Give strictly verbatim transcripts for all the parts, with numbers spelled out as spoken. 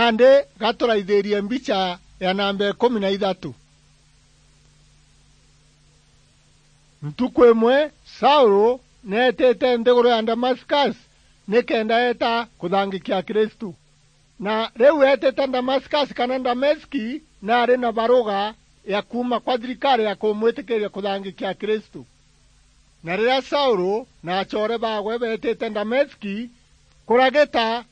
Nandi gaturaithirie mbicha ya namba ikumi na ithatu. Ntuku imwe, Saulu neetite nthiguru ya Damascus nikenda eeta kuthangikia Akristu. Na riu eetite Damascus kana Dameski, naari na baruga ya kuuma kwa thirikari ya kumwitikiria kuthangikia Akristu. Na riria Saulu na acoore baawe beetite Dameski kuragita,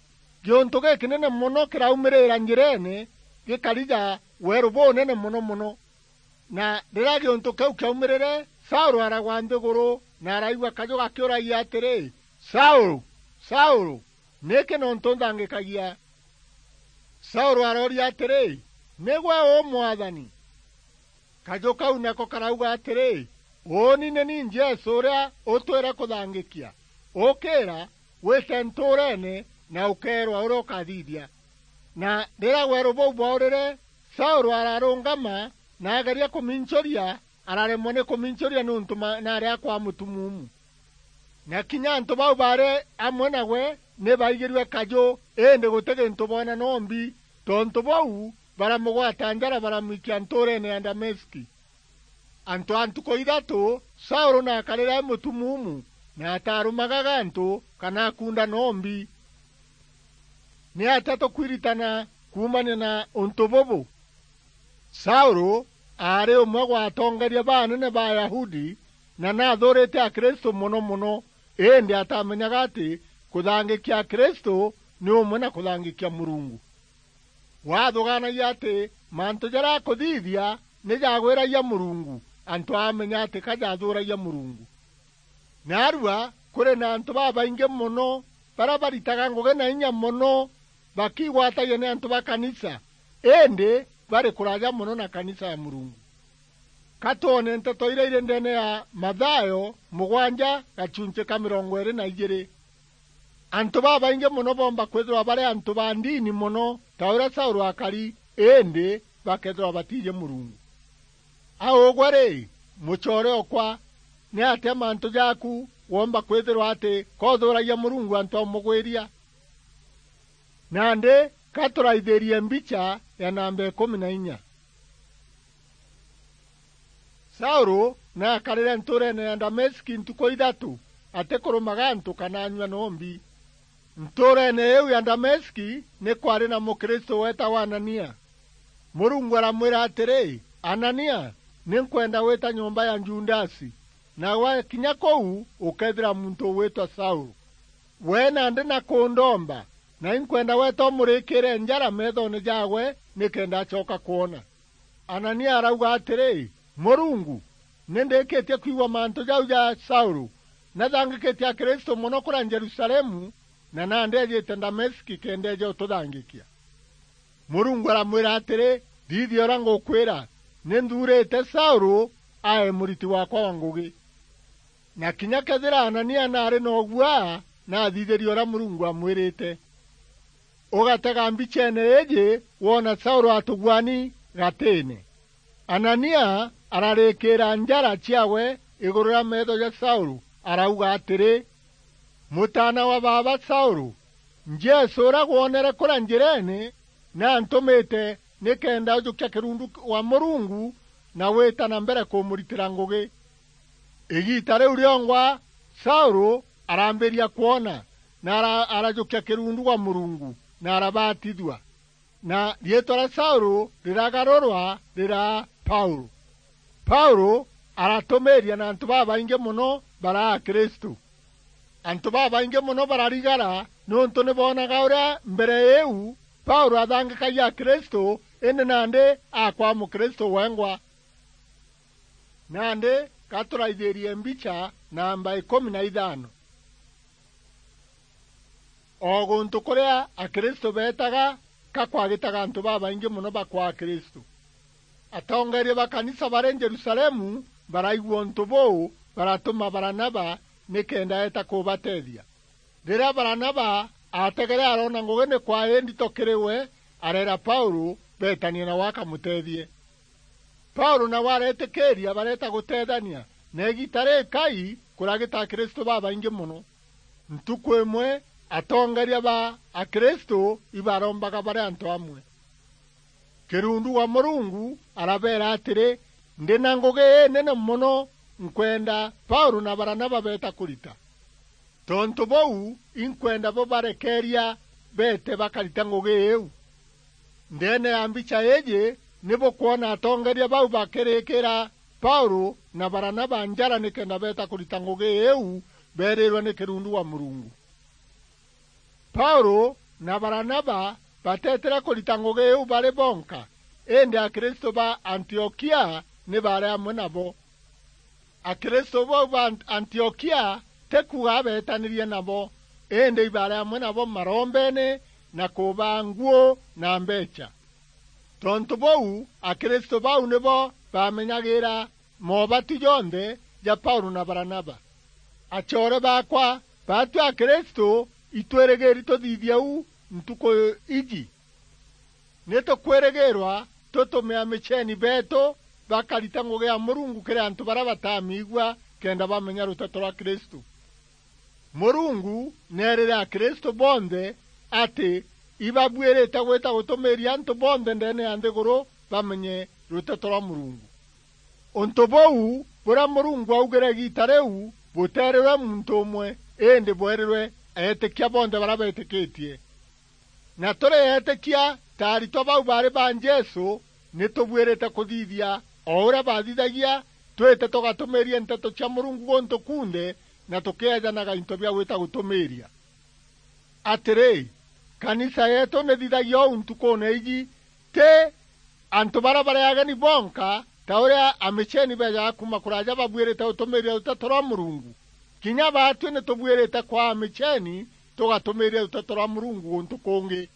giuntu gikinene mono kiraumirira njireene, gikarija weeru bunene mono mono. Na riria giuntu kiu kiaumirire, Saulu aragwa nthiguru, na araigua kaju gakiuragia atiri, "Saulu, Saulu, niki nontu nthangikagia?" Saulu arooria atiri, "Ni gwe uu, Mwathani?" Kaju kau nako karauga atiri, "Uuni ni ni Jesu uria utwire kuthangikia. Ukira, wite ntuureene, na ukeerwa uria ukathithia." Na riria weeru buu bwaurire, Saulu ararungama na ageria kumincuria, araremwa ni kumincuria niuntu ma-, naari akwa mutumuumu. Na kinya antu bau baari amwe nawe ni baigirue kaju, indi guti gintu boona nombi. Tontu buu, baramugwata njara, baramwikia ntuureene ya Dameski. Antu a ntuku ithatu, Saulu naakarire e mutumuumu, na ataarumaga gantu kana akuunda nombi. Ni atia tukwiritana kuumania na untu bubu? Saulu aari umwe gwa atongeria ba anene ba Ayahudi, na naathuurite Akristu mono mono, indi atamenyaga ati kuthangikia Akristu ni umwe na kuthangikia Murungu. Waathugaanagia ati mantu jaria akuthithia ni jagwiragia Murungu, antu aamenya ati ka jathuuragia Murungu. Naarua kuri na antu babaingi mono baria baritaga ngugi na inya mono, bakigwatagia ni antu ba kanisa, indi bari kuraja mono na kanisa ya Murungu. Ka twone nteto iria iri ndeene ya Mathayo mugwanja gachunchi ka mirongo iiri na ijiiri. Antu babaingi mono boomba kwithirwa bari antu ba ndini mono ta uria Saulu akari, indi bakethirwa batiiji Murungu. A ugwe ri, mucoore okwa, ni atia mantu jaaku woomba kwithirwa ati koothuuragia Murungu antu aumugwiria? Nandi ka turaithirie mbicha ya namba ikumi na inya. Saulu naakarire ntuureene ya Dameski ntuku ithatu, atikurumaga antu kana anyua nombi. Ntuureene iu ya Dameski ni kwaari na Mukristu weetagwa Anania. Murungu aramwira atiri, "Anania, ni nkwenda wita nyomba ya Judasi, na wakinya kuu ukeethira muntu ugwitwa Saulu. We nandi na kundomba, na inkwenda weeta umurikiire njara meethoone jaawe, nikenda acoka kwona." Anania arauga atiri, "Murungu, ni ndikitie kwigua mantu jau ja Saulu. Nathangikitie Akristu mono kuria Jerusalemu, na nandi eejite Dameski kenda eeje ututhangikia." Murungu aramwira atiri, "Thithia uria ngukwira, ni nthuurite Saulu ae muriti waakwa wa ngugi." Na kinya kethira Anania naari na uguaa, naathithirie uria Murungu aamwirite. Ugatega mbicheene iiji woona Saulu atuguani gatiine. Anania ararikiira njara ciaawe iguru ria meetho ja Saulu, arauga atiri, "Mutaana wa baaba Saulu, Jesu uria gwonere kuria njireene, naantumite nikenda ujukia kirundu wa Murungu na wita na mbere kumuritira ngugi." Igiita riu riongwa, Saulu arambiria kwona, na ara-, arajukia kirundu gwa Murungu, na arabatithua. Na riitwa ria Saulu riragarurwa riraa Paulu. Paulu aratumiiria na antu babaingi mono baraa Akristu. Antu babaingi mono bararigara niuntu ni boonaga uria mbere iu Paulu athangikagia Akristu, indi nandi akwa Mukristu wengwa. Nandi ka turaithirie mbicha namba ikumi na ithano. O guntu kuria Akristu beetaga, ka kwagitaga antu babaingi mono bakwa Akristu. Atongeeria ba kanisa bari Jerusalemu baraigua untu buu, baratuma Baranaba nikenda eeta kubateethia. Riria Baranaba aategere aroona ngugi ni kwaai ndito kiri we, areera Paulu beetanie nawe akamuteethie. Paulu nawe areetikiiria bareeta guteethania, na igiita rikai kuragita Akristu babaingi mono. Ntuku imwe, Atongeria ba Akristu ibarombaga bari antu amwe. Kirundu wa Murungu arabeera atiri, "Ndi na ngugi inene mono nkwenda Paulu na Baranaba beeta kurita. Tontu buu, inkwenda bo barekeeria beete bakarita ngugi iu." Ndeene ya mbicha iiji, ni bukwona atongeria bau bakirikira Paulu na Baranaba njara nikenda beeta kurita ngugi iu beerirwe ni kirundu wa Murungu. Paulu na Baranaba bateetire kurita ngugi iu bari bonka, indi Akristu ba Antiokia ni baari amwe nabo. Akristu bau ba Ant-, Antiokia ti kuuga beetanirie nabo, indi ibaari amwe nabo marombeene na kubaa nguu na mbeecha. Tontu buu, Akristu bau nibo baamenyagira moobatu jonthe ja Paulu na Baranaba. Acoore baakwa, baatwi Akristu itwirigiri tuthithia uu ntuku iji. Ni tukwirigirwa tutume amicheni beetu bakarita ngugi ya Murungu kiri antu baria batamiigua, kenda bamenya ruteto rwa Kristu. Murungu neerire Akristu bonthe ati ibabuirite gwita gutumiiria antu bonthe ndeene ya nthiguru bamenye ruteto rwa Murungu. Untu buu buria Murungu augire igiita riu buteerirwe muntu umwe, indi bweerirwe eetikia bonthe baria beetikitie. Na turi eetikia ta aritwa bau baari ba Jesu, ni tubuirite kuthithia o uria baathithagia, twite tugatumiiria nteto cia Murungu guntu kunthe, na tukieejanaga into bia gwita gutumiiria. Atiri, kanisa yeetu ni thithagia uu ntukuune iji, ti antu baria bari ageni bonka, ta uria amicheni beejaga kuuma kuraaja babuirite gutumiiria ruteto rwa Murungu. Kinya baatwi ni tubuirite kwaa amicheni tugatumiiria ruteto rwa Murungu guntu kungi.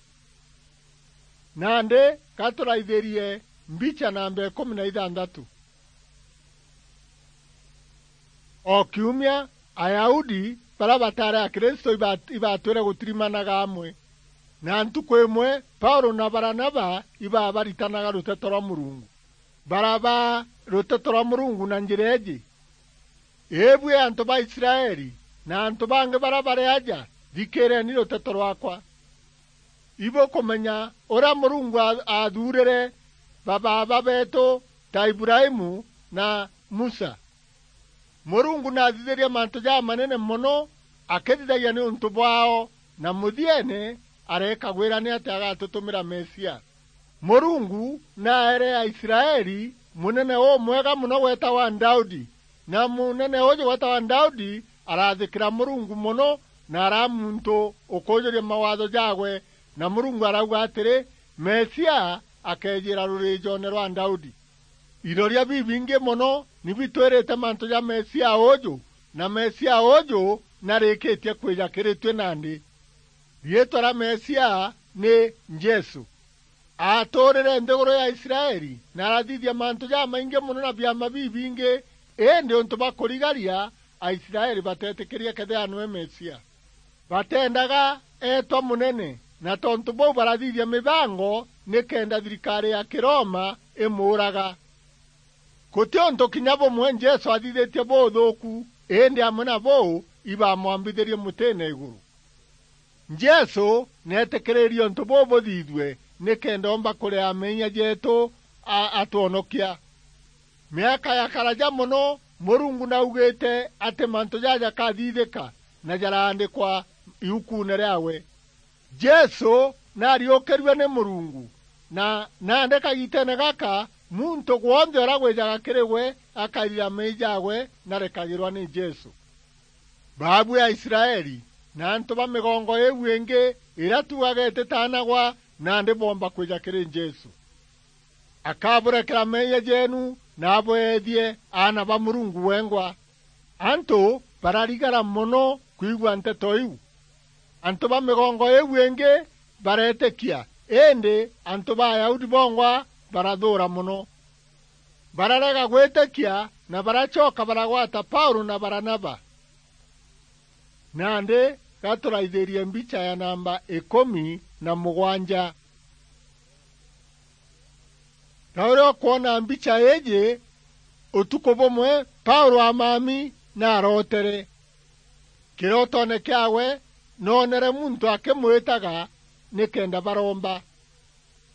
Nandi, ka turaithirie mbicha namba ikumi na ithanthatu. O kiumia, Ayahudi baria bataari Akristu iba-, ibatwire gutirimanaga amwe. Na ntuku imwe, Paulu na Baranaba ibabaritanaga ruteto rwa Murungu. Barabaa ruteto rwa Murungu na njira iiji: "Ibui antu ba Israeli, na antu bangi baria bari aja, thikiireni ruteto rwakwa. Ibukumenya uria Murungu a-, aathuurire babaaba beetu ta Ibrahimu na Musa. Murungu naathithirie mantu jamanene mono akithithagia niuntu bwaao, na muthieene areekagwira ni ati agatutumira Mesia. Murungu naaere Aisraeli munene umwega mono weetawa Daudi, na munene uju weetawa Daudi araathikira Murungu mono, na araa muntu ukuujuria mawatho jaawe, na Murungu arauga atiri, Mesia akeejiira ruriijoone rwa Daudi." Iroria bibingi mono ni bitwirite mantu ja Mesia uju, na Mesia uju narikitie kwija kiri tui nandi. Riitwa ria Mesia ni Jesu. Aatuurire nthiguru ya Israeli, na arathithia mantu jamaingi mono na biama bibingi, indi untu bwa kurigaria, Aisraeli bateetikirie kethira niwe Mesia. Bateendaga eetwa munene, na tontu buu barathithia mibango nikenda thirikari ya Kiroma imuuraga. Guti untu kinya bumwe Jesu athithitie buuthuuku, indi amwe na buu ibamwambithirie mutiine iguru. Jesu neetikiririe untu buu buthithue nikenda oomba kuria meeyia jeetu a-, atwonokia. Miaka ya karaja mono, Murungu naugite ati mantu jaja jakathithika na jaraandikwa iukuune riaawe. Jesu naariukirue ni Murungu, na nandi kagiiteene gaka, muntu gwonthe uria gwijaga kiri we akairira meeyia jaawe na arekagirwa ni Jesu. Baabui Aisraeli na antu ba migongo iu ingi iria tuugaga ititaanagwa, nandi boomba kwija kiri Jesu. Akaburekera meeyia jeenu na abweethie aana ba Murungu wengwa. Antu bararigara mono kwigua nteto iu. Antu ba migongo iu ingi bareetikia, indi antu ba Ayahudi bongwa barathuura mono. Bararega gwitikia na baracoka baragwata Paulu na Baranaba. Nandi ga turaithirie mbicha ya namba ikumi na mugwanja. Ta uria ukwona mbicha iiji, utuku bumwe Paulu amami na arootere. Kirotoone kiaawe, noonere muntu akimwitaga nikenda baromba.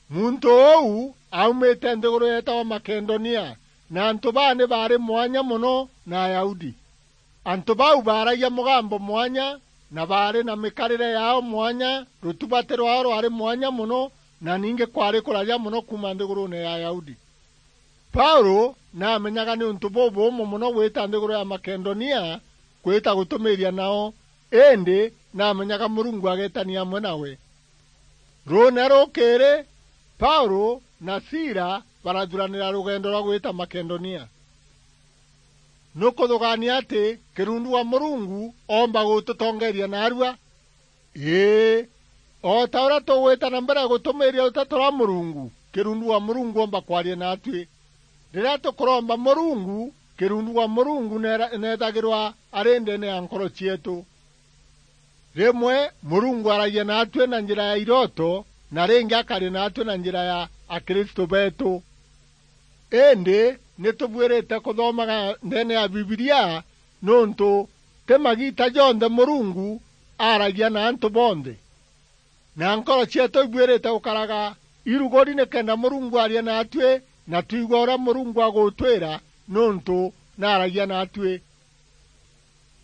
Muntu uu aumite nthiguru yeetagwa Makedonia, na antu baa ni baari mwanya mono na Ayahudi. Antu bau baaragia mugambo mwanya, na baari na mikarire yaao mwanya, rutuba ti rwaao rwari mwanya mono, na ningi kwari kuraja mono kuuma nthiguruune ya Ayahudi. Paulu naamenyaga ni untu bubuumu mono gwita nthiguru ya Makedonia, kwita gutumiiria nao, indi naamenyaga Murungu ageetania amwe nawe. Ruune rukiiri, Paulu na Sila barathuranira rugendo rwa gwita Makedonia. Nukuthugaania ati kirundu wa Murungu oomba gututongeeria naarua? Ii, o ta uria tugwita na mbere gutumiiria ruteto rwa Murungu, kirundu wa Murungu oomba kwaria naatui. Riria tukuromba Murungu, kirundu wa Murungu neera-, neethagirwa ari ndeene ya nkoro cieetu. Rimwe Murungu aragia naatui na njira ya irooto, na ringi akaria naatui na njira ya akristu beetu. Indi ni tubuirite kuthomaga ndeene ya Bibilia, niuntu ti magiita jonthe Murungu aaragia na antu bonthe. Na nkoro cieetu ibuirite gukaraga iruguri nikenda Murungu arie naatui, na twigua uria Murungu agutwira, niuntu naaragia naatui.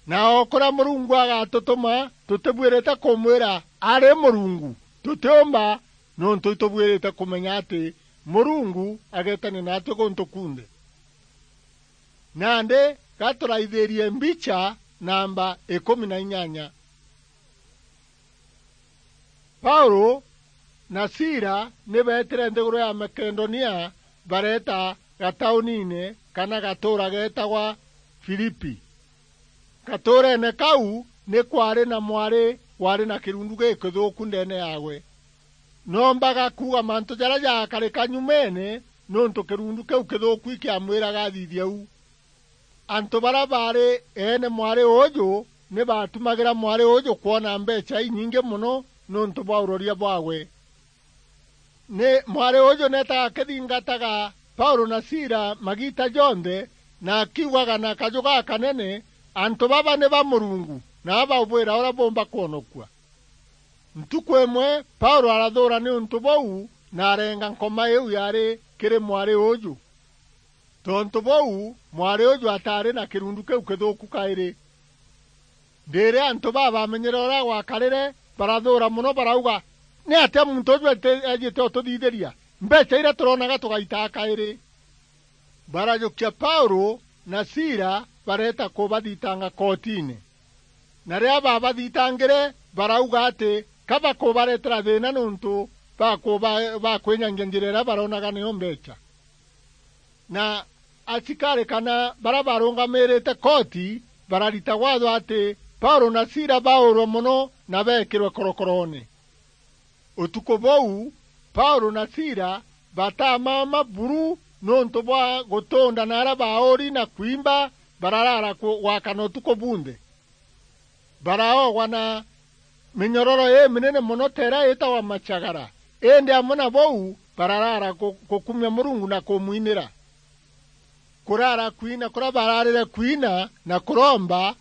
Na o kuria Murungu agatutuma, tutibuirite kumwira ari Murungu. Tutiumba, niuntu itubuirite kumenya ati Murungu ageetania naatui guntu kunthe. Nandi ga turaithirie mbicha namba ikumi na inyanya. Paulu na Sila ni beetire nthiguru ya Makedonia, bareeta gatauniine kana gatuura geetagwa Filipi. Gatuureene kau ni kwaari na mwari waari na kirundu gikithuuku ndeene yaawe. Noombaga kuuga mantu jaria jaakarika nyumeene, niuntu kirundu kiu kithuuku ikiamwiraga athithie uu. Antu baria baari eene mwari uuju ni baatumagira mwari uuju kwona mbeecha inyingi mono niuntu bwa uroria bwaawe. Ni mwari uuju neetaga akithingataga Paulu na Sila magiita jonthe, na akiugaga na kaju gakanene, "Antu baba ni ba Murungu, na ababwira uria buumba kwonokua." Ntuku imwe Paulu arathuura niuntu buu, na arenga nkoma iu yaari kiri mwari uuju. Tontu buu, mwari uuju ataari na kirundu kiu kithuuku kairi. Ndiiri antu baa bamenyere uria gwakarire, barathuura mono, barauga, "Niatia muntu uuju eti-, eejite ututhithiria? Mbeecha iria turoonaga tugaitaa kairi." Barajukia Paulu na Sila, bareeta kubathitanga kootine. Na riria baabathitangire, barauga ati ka bakubareetera thiina niuntu bakuba-, bakwinyangia njira iria baroonaga niyo mbeecha. Na asikari kana baria barungamiirite kooti bararita waatho ati Paulu na Sila baurwe mono na beekirwe korokoroone. Utuku buu, Paulu na Sila batamama buru niuntu bwa gutunda na aria baauri na kwimba, bararaara ku-, gwakana utuku bunthe. Baraogwa na minyororo iminene mono ta iria itagwa macagara, indi amwe na buu bararaara ku-, gukumia Murungu na kumwinira. Kuraara kwina kuria baraarire kwina na kuromba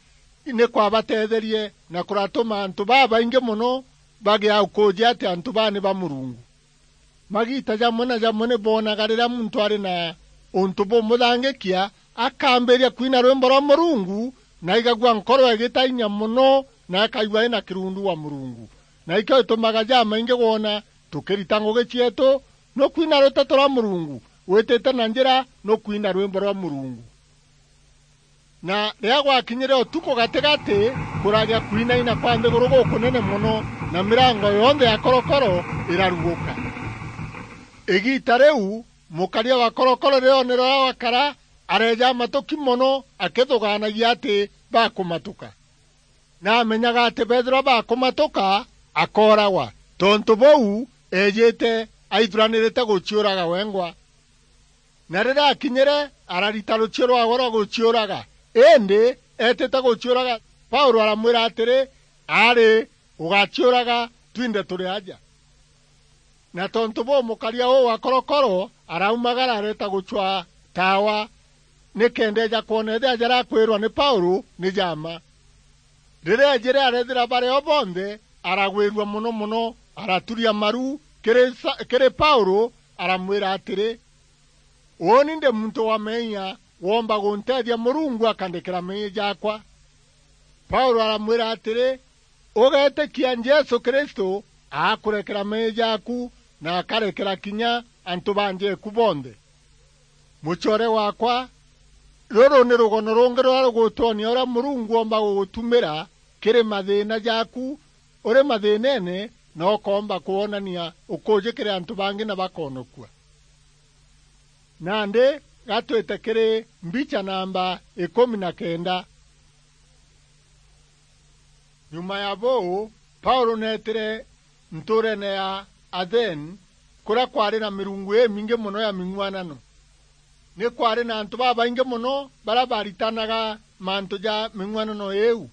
ni kwabateetherie na kuratuma antu babaingi mono bagia ukuuji ati antu baa ni ba Murungu. Magiita jamwe na jamwe ni boonaga riria muntu ari na untu bumuthangikia, akambiria kwina rwimbo rwa Murungu, na aigagua nkoro igita inya mono, na akaigua ina kirundu wa Murungu. Na ikio gitumaga jamaingi gwona tukirita ngugi cieetu, nukwina ruteto rwa Murungu, witite na njira, nukwina rwimbo rwa Murungu. Na riria gwakinyire utuku gatigati, kuragia kwinaina kwa nthiguru gukunene mono, na mirango yonthe ya korokoro iraruguka. Igiita riu, mukaria wa korokoro riria oonere uria gwakara, areeja matuki mono, akithugaanagia ati bakumatuka. Na amenyaga ati beethirwa bakumatuka, akooragwa. Tontu buu, eejite aithuranirite guciuraga wengwa. Na riria akinyire, ararita ruchio rwaawe rwa guciuraga. Indi eetite guciuraga, Paulu aramwira atiri, "Aari, ugaciuraga, twinthe turi aja." Na tontu buu, mukaria uu wa korokoro araumagara areeta gucwaa taawa, nikenda eeja kwona ethira jaria akwirwa ni Paulu ni ja mma. Riria eejire areethira bari o bonthe, aragwirua mono mono, araturia maru kiri Sa-, kiri Paulu, aramwira atiri, "Uuni ndi muntu wa meeyia, woomba gunteethia Murungu akandekera meeyia jaakwa?" Paulu aramwira atiri, "Ugeetikia Jesu Kristu, akurekera meeyia jaaku, na akarekera kinya antu ba nja eku bonthe." Mucoore waakwa, ruru ni rugono rungi ruria rugutwonia uria Murungu oomba gugutumira kiri mathiina jaaku uri mathiineene, na ukoomba kwonania ukuuji kiri antu bangi na bakoonokua. Nandi gatwite kiri mbicha namba ikumi na kenda. Nyuma ya buu, Paulu neetire ntuureene ya Athene, kuria kwaari na mirungu imingi mono ya ming'uanano. Ni kwaari na antu babaingi mono baria baaritanaga mantu ja ming'uanano iiu.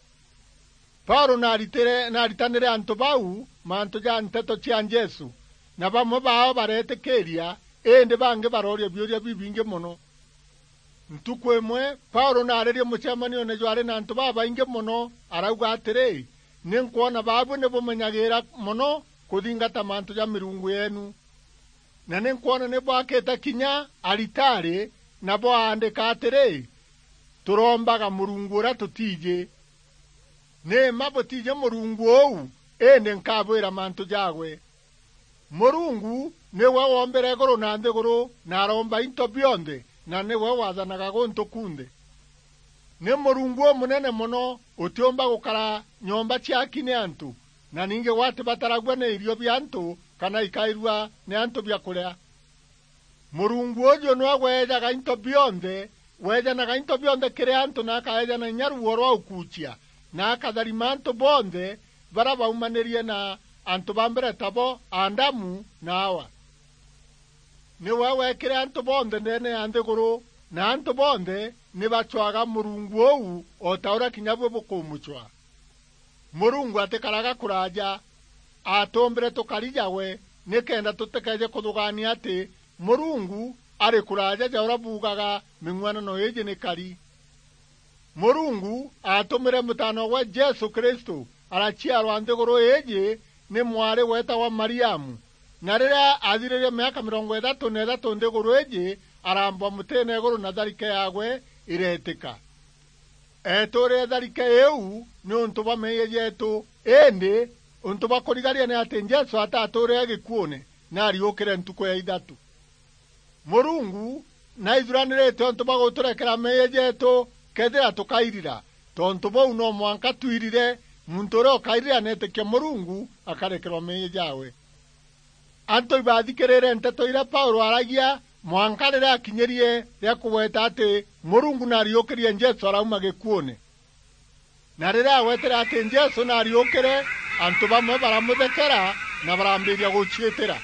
Paulu naaritire-, naaritanire antu bau mantu ja nteto cia Jesu, na bamwe baao bareetikiiria, indi bangi barooria biuria bibingi mono. Ntuku imwe, Paulu naaririe mucemanioone jwaari na antu babaingi mono, arauga atiri, "Ni nkwona baabui ni bumenyagiira mono kuthingata mantu ja mirungu yeenu. Na ni nkwona ni bwakite kinya aritari, na bwaandika atiri, 'Turoombaga murungu uria tutiiji.' Ni mma butiiji murungu uu, indi nkabwira mantu jaagwe. Murungu niwe woombire iguru na nthiguru, na aroomba into bionthe, na niwe waathanaga guntu kunthe. Ni Murungu umunene mono, utiumba gukara nyomba ciaki ni antu, na ningi gwatibataragua ni irio bia antu kana ikairua ni antu bia kuria. Murungu uju niwe weejaga into bionthe, weejanaga into bionthe kiri antu, na akaeejana inya ruuo rwa ukuucia, na akatharima antu bonthe baria baumanirie na antu ba mbere tabo Adamu na Awa. Niwe weekire antu bonthe ndeene ya nthiguru, na antu bonthe ni bacwaga Murungu uu o ta uria kinya bui bukumucwa. Murungu atikaraga kuraaja, aatuumbire tukari jawe, nikenda tutikeeje kuthugaania ati Murungu ari kuraaja ja uria buugaga ming'uanano iiji ni kari. Murungu aatumire Mutaanogwe Jesu Kristu, araciarwa nthiguru iiji ni mwari weetagwa Mariamu, na riria aathiririe miaka mirongo ithatu na ithatu nthiguru iiji, araambwa mutiine iguru na tharike yaagwe ireetika. Eetuurire tharike iu niuntu bwa meeyia jeetu, indi untu bwa kurigaria ni ati Jesu ataatuurire gikuune, naariukire ntuku ya ithatu. Murungu naithuranirite untu bwa guturekera meeyia jeetu kethira tukairira. Tontu buu, no mwanka twirire, muntu uria ukairira neetikia Murungu akarekerwa meeyia jaawe. Antu ibathikirire nteto iria Paulu aaragia, mwanka riria akinyirie ria kugweta ati Murungu naariukirie Jesu arauma gikuune. Na riria agwetire ati Jesu naariukire, antu bamwe baramuthekera na barambiria guciitira.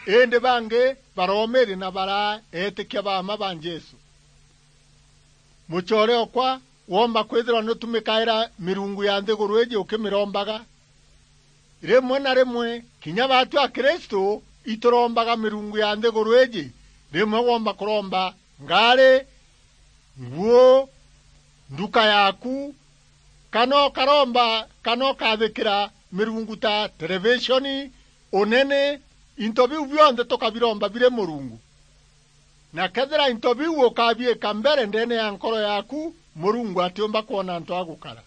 Indi bangi baroomiria na baraeetikia ba mma ba Jesu. Mucoore okwa, woomba kwithirwa nutumikaira mirungu ya nthiguru iiji ukimirombaga? Rimwe na rimwe, kinya baatu Akristu iturombaga mirungu ya nthiguru iiji. Rimwe woomba kuromba ngaari, nguu, nduka yaaku, kana ukaromba, kana ukathikira mirungu ta televishoni, unene, into biu bionthe tukabiromba biri Murungu. Na kethira into biu ukabiika mbere ndeene ya nkoro yaaku, Murungu atiumba kwona antu a gukara.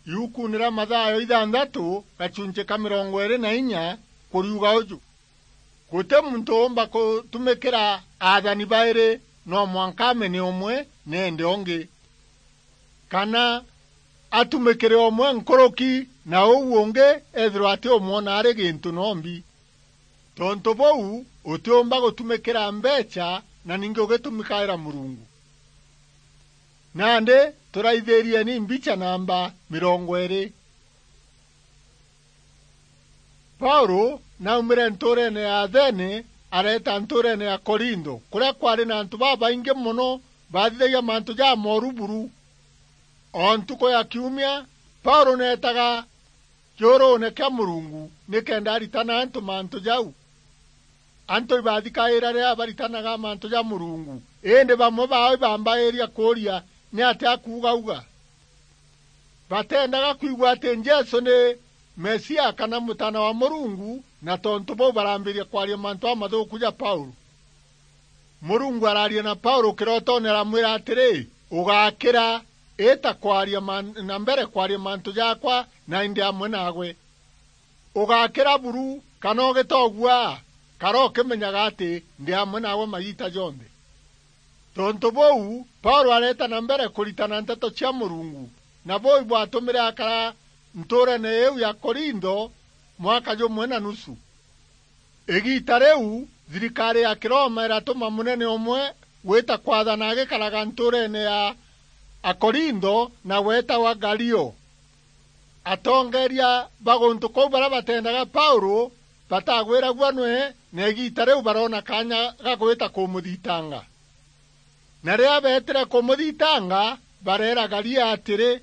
Iukuune ria Mathayo ithanthatu, gachunchi ka mirongo iiri na inya, kuriuga uju, "Guti muntu uumba kutumikira aathani bairi, no mwanka amene umwe neende ungi, kana atumikire umwe nkuruki na uu ungi ethirwa atiumwona ari gintu nombi." Tontu buu, utiumba gutumikira mbeecha na ningi ugitumikaira Murungu. Nandi turaithirieni mbicha namba mirongo iiri. Paulu naumire ntuureene ya Athene, areeta ntuureene ya Korintho, kuria kwaari na antu babaingi mono baathithagia mantu jamooru buru. O ntuku ya kiumia, Paulu neetaga kiuruune kia Murungu nikenda aritana antu mantu jau. Antu ibathikaira riria baritanaga mantu ja Murungu, indi bamwe baao ibambairia kuuria, "Niatia akuugauga?" Bateendaga kwigua atî Jesû nî Mesia kana Mûtaana wa Mûrungu, na tontû bûu barambîrîria kwaria mantû jamathuûku ja Paûlû. Mûrungu araaria na Paûlû kîrotoone, aramwîra atîrî, "Ûgakîra, îta kwaria man-, na mbere kwaria mantû jaakwa na îndî amwe naagwe. Ûgakîra buru, kana ûgîtogua, kara ûkîmenyaga atî ndî amwe naagwe magiita jonthe." Tontû bûu, Paûlû areeta na mbere kûritana nteto cia Mûrungu, na bûu ibwatûmîre akara ntûûreene îîu ya Korintho mwaka jûmwe na nusu. Îgiita rîu, thirikarî ya Kîroma îratûma mûnene ûmwe gwîta kwathana agîkaraga ntûûreene ya Akorintho na weetagwa Galio. Atongeeria ba gûntû kûu barîa bateendaga Paûlû batagwîragua nwe, na îgiita rîu baroona kaanya ga gwîta kûmûthitanga. Na rîrîa beetîre kûmûthitanga, bareera Galio atîrî,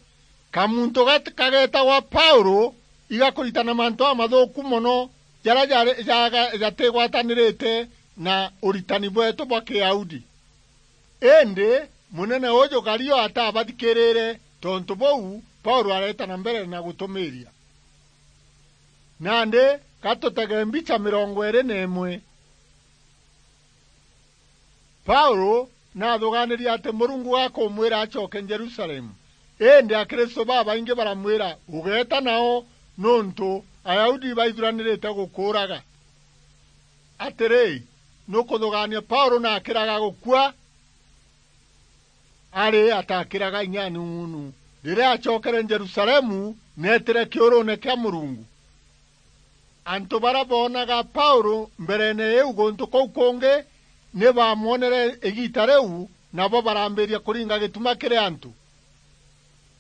"Kamuntû gat-, kageetagwa Paûlû igakûritana mantû jamathûûku mono jarîa jarî, jaga-, jatîgwatanîrîte na ûritani bweetû bwa Kîyahudi." Îndî mûnene ûûjû Galio atabathikîrîîre, tontû bûu Paûlû areeta na mbere na gûtûmîîria. Nandî ga tûtege mbicha mîrongo îîrî na îmwe. Paûlû naathûgaanîrie atî Mûrungu akûmwîra acoke Jerusalemu, îndî Akristû babaingî baramwîra, "Ûgeeta nao, nûntû Ayahudi baithuranîrîte gûkûûraga." Atîrî, nûkûthûgaania Paûlû na akîraga gûkua? Arî atakîraga inya nung'unu. Rîrîa acokere Jerusalemu, neetîre kîûrûûne kîa Mûrungu. Antû barîa boonaga Paûlû mbereene îîu gûntû kûu kûngî, nî baamwonere îgiita rîu, nabo barambîrîria kûringa gîtuma kîrî antû,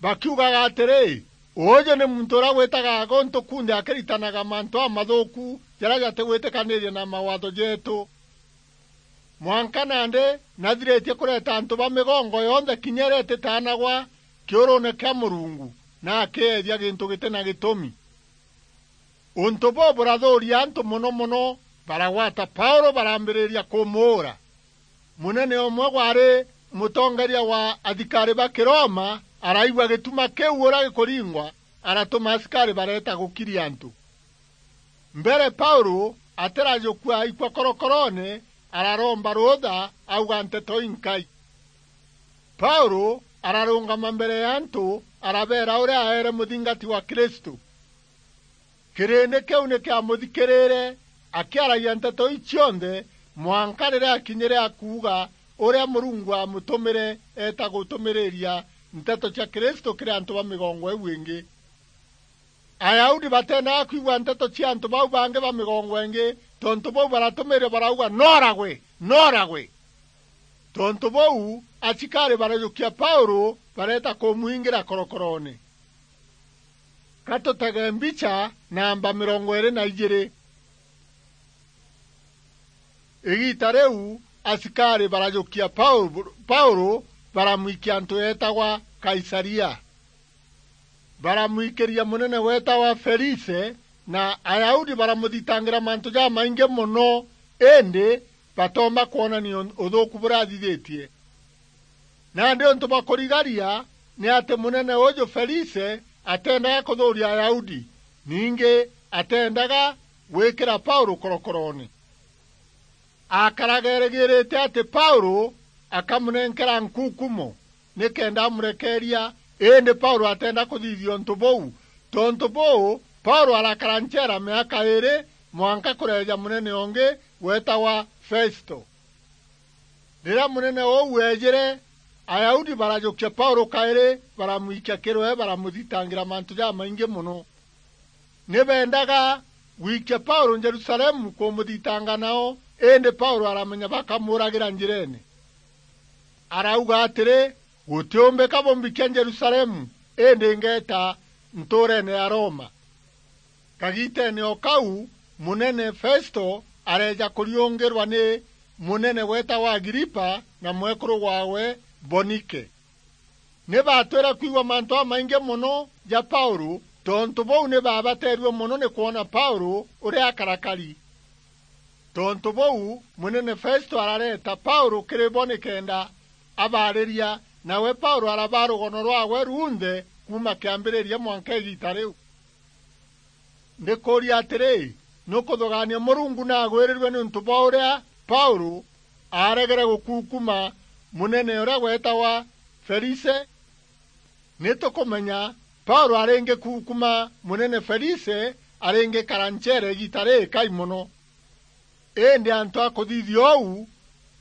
bakiugaga atîrî, "Ûûjû nî muntû ûrîa wîtaga gûntû kunthe akîritanaga mantû jamathûûku jarîa jatîgwîtîkanîîria na mawaatho jeetû." Mwanka nandî nathirîtie kûreta antû ba mîgongo yonthe kinya îrîa îtîtaanagwa kîûrûûne kîa Mûrungu, na akîeethia gîntû gîtî na gîtûmi. Ûntû bûû bûrathûûria antû mono mono, baragwata Paûlû, barambîrîria kûmûûra. Mûnene ûmwe waarî mûtongeeria wa athikarî ba Kîroma araigua gîtuma kîu ûrîa gîkûringwa, aratûma asikarî bareeta gûkiria antû. Mbere Paûlû atîrajûkua aikua korokoroone, araromba rûûtha auga nteto inkai. Paûlû ararûngama mbere ya antû, arabeera ûrîa aeere mûthingati wa Kristû. Kîrîndî kîu nî kîamûthikîrîîre akîaragia nteto ii cionthe, mwanka rîrîa akinyîre akuuga ûrîa Mûrungu aamûtûmîre eeta gûtûmîrîîria nteto cia Kristû kîrî antû ba mîgongo îîu îngî. Ayahudi bateendaga kwigua nteto cia antû bau bangî ba mîgongo îngî, tontû bûu baratûmîîria barauga, "Nooragwe! Nooragwe!" Tontû bûu, asikarî barajûkia Paûlû, bareeta kûmwingîra korokoroone. Ka tûtege mbicha namba mîrongo îîrî na ijîîrî. Îgiita rîu, asikarî barajûkia Paû-, Paûlû, baramwikia antû yeetagwa Kaisaria. Baramwikîria mûnene weetagwa Felise, na Ayahudi baramûthitangîra mantû jamaingî mono, îndî batoomba kwonania û-, ûthûûku bûrîa athithîtie. Nandî ûntû bwa kûrigaria nî atî mûnene ûûjû Felise ateendaga kûthûûria Ayahudi, ningî ateendaga gwîkîra Paûlû korokoroone. Akaraga erîgîrîte atî Paûlû akamûnenkera nkukumo nîkenda amûrekeeria, îndî Paûlû ateenda kûthithia ûntû bûu. Tontû bûû, Paûlû arakara ncheera mîaka îîrî, mwanka kûreeja mûnene ûngî weetagwa Festo. Rîrîa mûnene ûu weejîre, Ayahudi barajûkia Paûlû kaîrî, baramwikia kîrwe, baramûthitangîra mantû jamaingî mono. Nî beendaga gwikia Paûlû Jerusalemu kûmûthitanga nao, îndî Paûlû aramenya bakamûûragîra njîreene. Arauga atîrî, "Gûtîûmbîka bûmbikia Jerusalemu, îndî ngeeta ntûûreene ya Roma." Kagiiteene o kau, mûnene Festo areeja kûriûngîrwa nî mûnene weetagwa Agripa na mwekûrû waawe Bonike. Nî baatwîre kwigua mantû jamaingî mono ja Paûlû, tontû bûu nî baabateerue mono nî kwona Paûlû ûrîa akarakari. Tontû bûu, mûnene Festo arareeta Paûlû kîrî bo nîkenda abaarîria, nawe Paûlû arabaa rûgono rwaawe runthe, kuuma kiambiriria mwanka igiita riu. Ndikuuria atiri, nukuthugaania Murungu naagwirirue niuntu bwa uria Paulu aaregere gukukuma munene uria weetagwa Felise? Ni tukumenya Paulu aringikukuma munene Felise, aringikara ncheera igiita riikai mono. Indi antu a kuthithia uu,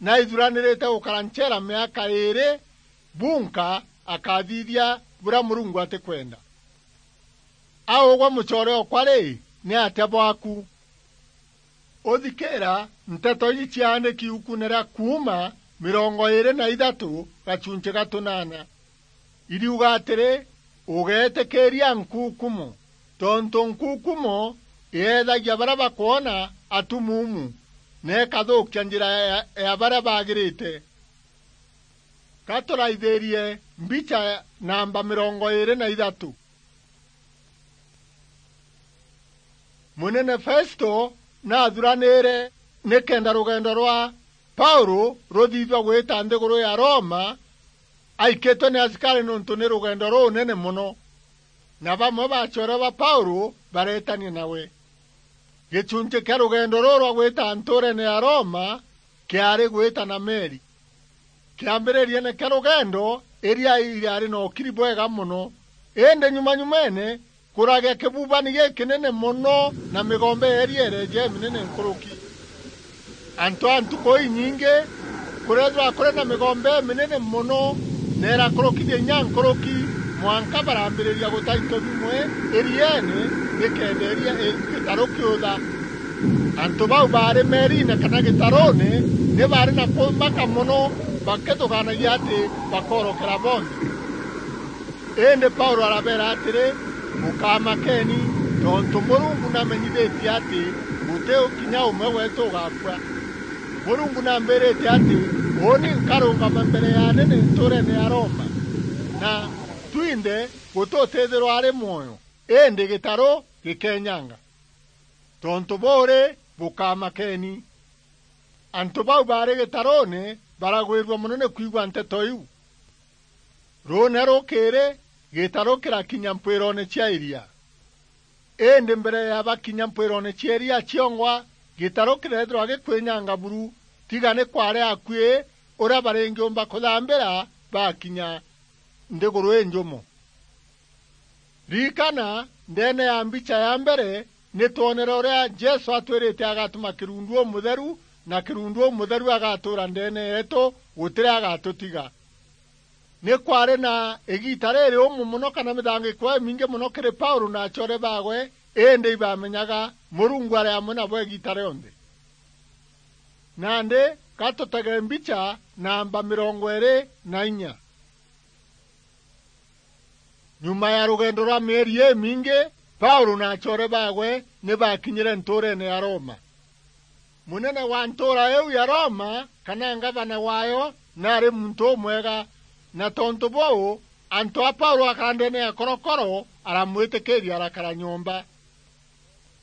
naithuranirite gukara ncheera miaka iiri bunka akathithia buria Murungu atikwenda. A ugwe mucoore okwa ri, ni atia bwaku? Uthikira nteto iji ciaandiki iukune ria Kuuma mirongo iiri na ithatu gachunchi ga tunana. Iriuga atiri, ugeetikiria nkukumo, tontu nkukumo iethagia baria bakwona atumuumu, na ikathukia njira ya, ya baria bagirite. Ka turaithirie mbicha namba mirongo iiri na ithatu. Munene Festo naathuranire nikenda rugendo rwa Paulu ruthithua gwita nthiguru ya Roma, aikitwe ni asikari niuntu ni rugendo runene mono, na bamwe ba acoore ba Paulu bareetania nawe. Gichunchi kia rugendo ruu rwa gwita ntuureene ya Roma kiaari gwita na meri. Kiambiririene kia rugendo, iria iriari na ukiri bwega mono, indi nyuma-nyumeene kuragia kibubani gikinene mono na migombe ya iria ireeja iminene nkuruki. Antu a ntuku inyingi kureethirwa kuri na migombe iminene mono na irakurukithia inya nkuruki, mwanka barambiriria guta into bimwe irieene nikenda iria i-, gitaru kiutha. Antu bau baari meeriine kana gitaruune ni baari na kumaka mono, bakithugaanagia ati bakoorokera bonthe. Indi Paulu arabeera atiri, "Bukamakeni, tontu Murungu namenyithitie ati guti kinya umwe weetu ugaakua. Murungu nambirite ati uuni nkarungama mbere ya anene ntuureene ya Roma, na twinthe gututithirwa ari mwoyo, indi gitaru gikenyanga. Tontu buu ri, bukamakeni." Antu bau baari gitaruune baragwirua mono ni kwigua nteto iu. Ruune rukiiri, gitaru kirakinya mpwiroone cia iria. Indi mbere ya bakinya mpwiroone cia iria ciongwa, gitaru kireethirwa gikwinyanga buru, tiga ni kwaari akui uria baringiumba kuthambira bakinya nthiguru injumu. Ririkana, ndeene ya mbicha ya mbere, ni twonere uria Jesu atwirite agatuma kirundu umutheru, na kirundu umutheru agatuura ndeene yeetu, gutiri agatutiga. Ni kwaari na igiita ririumu mono kana mithangiko imingi mono kiri Paulu na acoore baawe, indi ibamenyaga Murungu ari amwe nabo igiita rionthe. Nandi, ka tutege mbicha namba mirongo iiri na inya. Nyuma ya rugendo rwa mieri imingi, Paulu na acoore baawe ni baakinyire ntuureene ya Roma. Munene wa ntuura iu ya Roma, kana ngavana waayo, naari muntu umwega, na tontu buu, antu a Paulu akara ndeene ya korokoro, aramwitikiiria arakara nyomba.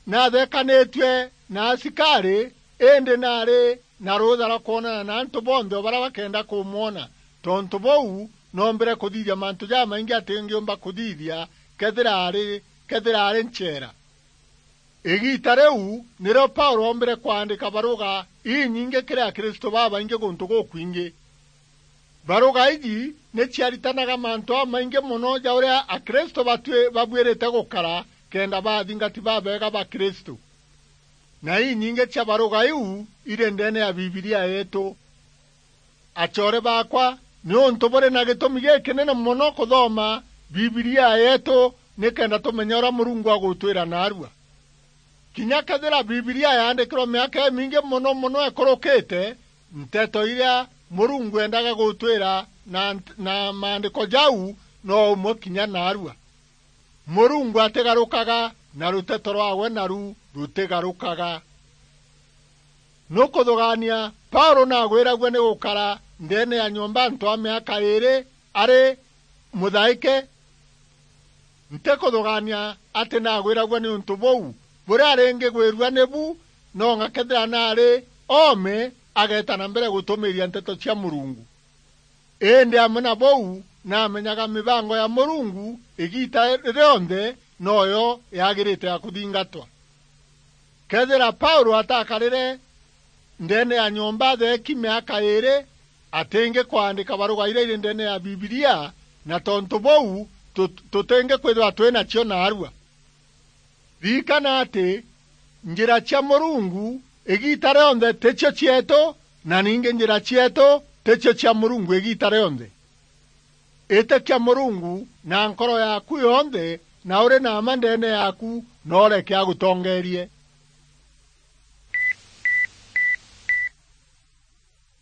Naathekanitue na asikari, indi naari na ruutha rwa kwonana na antu bonthe o baria bakenda kumwona. Tontu buu, noombire kuthithia mantu jamaingi atingiumba kuthithia kethira ari, kethira ari ncheera. Igiita riu nirio Paulu oombire kwandika baruga inyingi kiri Akristu babaingi guntu gukwingi. Baruga iji ni ciaritanaga mantu jamaingi mono ja uria Akristu batwi-, babuirite gukara kenda baa athingati babeega ba Kristu. Na inyingi cia baruga iu iri ndeene ya Bibilia yeetu. Acoore baakwa, niuntu buri na gitumi gikinene mono kuthoma Bibilia yeetu nikenda tumenye uria Murungu agutwira naarua. Kinya kethira Bibilia yaandikirwe miaka imingi mono mono ikurukite, nteto iria Murungu endaga gutwira na nt-, na maandiko jau no umwe kinya naarua. Murungu atigarukaga, na ruteto rwawe naru rutigarukaga. Nukuthugaania, Paulu naagwiragua ni gukara ndeene ya nyomba antu a miaka iiri ari muthaike? Ntikuthugaania ati naagwiragua niuntu buu. Buria ringigwirua nibu, nonga kethira naari oome ageeta na mbere gutumiiria nteto cia Murungu. Indi amwe na buu, na amenyaga mibango ya Murungu igiita rionthe noyo yagirite ya kuthingatwa. Kethira Paulo atakarire ndeene ya nyomba atheeki miaka iiri, atingi kwandika baruga iria iri ndeene ya Bibilia, na tontu buu, tut-, tutingi kwithirwa twi nacio naarua. Ririkana ati njira cia Murungu igiita rionthe ticio cieetu, na ningi njira cieetu ticio cia Murungu igiita rionthe. Itikia Murungu na nkoro yaaku yonthe, na uri na mma ndeene yaaku, na ureke agutongeerie.